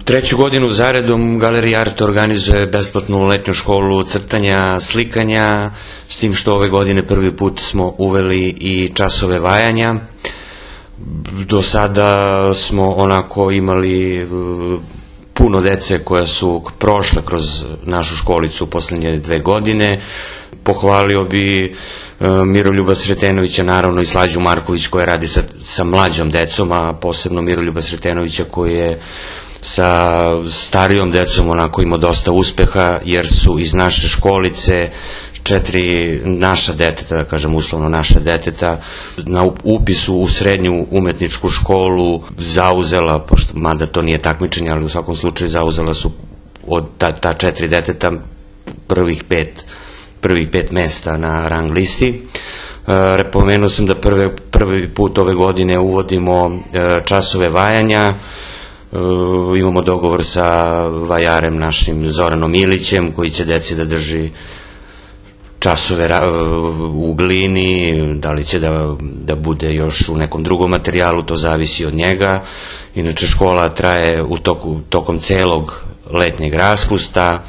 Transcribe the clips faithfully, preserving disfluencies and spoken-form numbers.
Treću godinu zaredom Galerija Art organizuje besplatnu letnju školu crtanja, slikanja, s tim što ove godine prvi put smo uveli i časove vajanja. Do sada smo onako imali puno dece koja su prošle kroz našu školicu u poslednje dve godine. Pohvalio bi Miroljuba Sretenovića, naravno i Slađu Marković koja radi sa, sa mlađom decom, a posebno Miroljuba Sretenovića koji je sa starijom decom onako imao dosta uspeha, jer su iz naše školice četiri naša deteta, da kažem uslovno naša deteta, na upisu u srednju umetničku školu zauzela, pošto, mada to nije takmičenje, ali u svakom slučaju zauzela su od ta, ta četiri deteta prvih pet, prvih pet mesta na rang listi. E, pomenuo sam da prve, prvi put ove godine uvodimo e, časove vajanja. Uh, imamo dogovor sa vajarem našim Zoranom Ilićem koji će deci da drži časove u glini, da li će da, da bude još u nekom drugom materijalu, to zavisi od njega. Inače škola traje u toku, tokom celog letnjeg raspusta,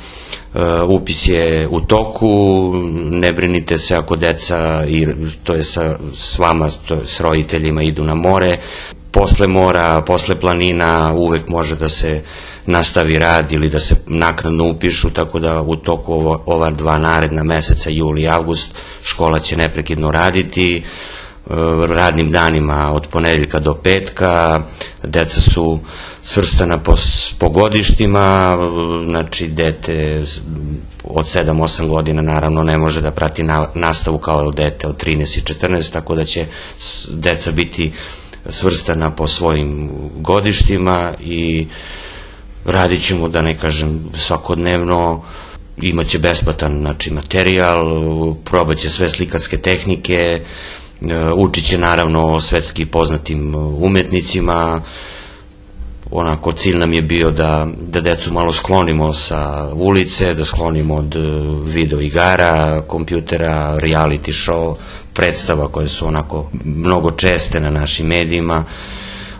uh, upis je u toku, ne brinite se ako deca, i to je sa, s vama, to je s roditeljima, idu na more. Posle mora, posle planina uvek može da se nastavi rad ili da se naknadno upišu, tako da u toku ovo, ova dva naredna meseca, juli i avgust, škola će neprekidno raditi, radnim danima od ponedeljka do petka, deca su svrstana po, po godištima, znači dete od sedam osam godina naravno ne može da prati na, nastavu kao dete od trinaest i četrnaest, tako da će deca biti svrstana po svojim godištima i radit ćemo, da ne kažem, svakodnevno. Imaće besplatan, znači, materijal, probat će sve slikarske tehnike, učit će naravno o svetski poznatim umetnicima. Onako, cilj nam je bio da, da decu malo sklonimo sa ulice, da sklonimo od video igara, kompjutera, reality show, predstava koje su onako mnogo česte na našim medijima,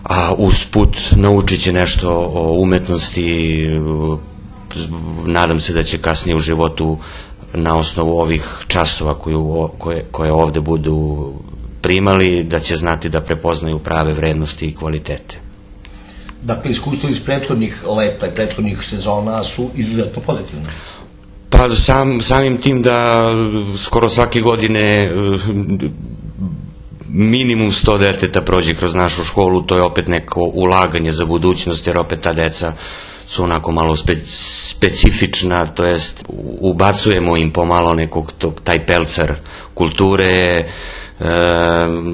a usput naučit će nešto o umetnosti. Nadam se da će kasnije u životu na osnovu ovih časova koju, koje, koje ovde budu primali, da će znati da prepoznaju prave vrednosti i kvalitete. Dakle, iskustvo iz prethodnih leta i prethodnih sezona su izuzetno pozitivne. Pa sam, samim tim da skoro svake godine minimum sto deteta prođe kroz našu školu, to je opet neko ulaganje za budućnost, jer opet ta deca su onako malo spe, specifična, to jest ubacujemo im pomalo nekog tog, taj pelcar kulture. E,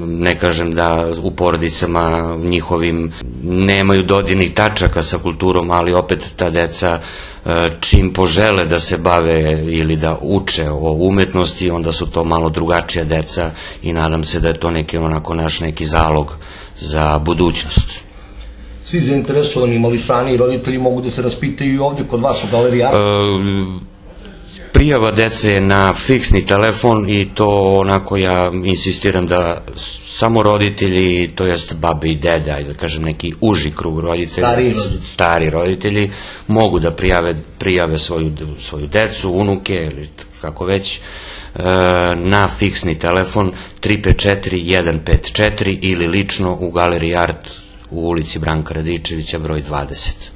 ne kažem da u porodicama njihovim nemaju dodirnih tačaka sa kulturom, ali opet ta deca e, čim požele da se bave ili da uče o umetnosti, onda su to malo drugačija deca i nadam se da je to neki onako naš neki zalog za budućnost. Svi zainteresovani mališani i roditelji mogu da se raspitaju i ovdje kod vas u Galeriji Art? E, Prijava dece je na fiksni telefon i to onako ja insistiram da samo roditelji, to jest babe i dede, ajde da kažem neki uži krug roditelja, stari roditelji, stari roditelji mogu da prijave, prijave svoju, svoju decu, unuke ili kako već, na fiksni telefon tri pet četiri jedan pet četiri ili lično u Galeriji Art u ulici Branka Radičevića broj dvadeset.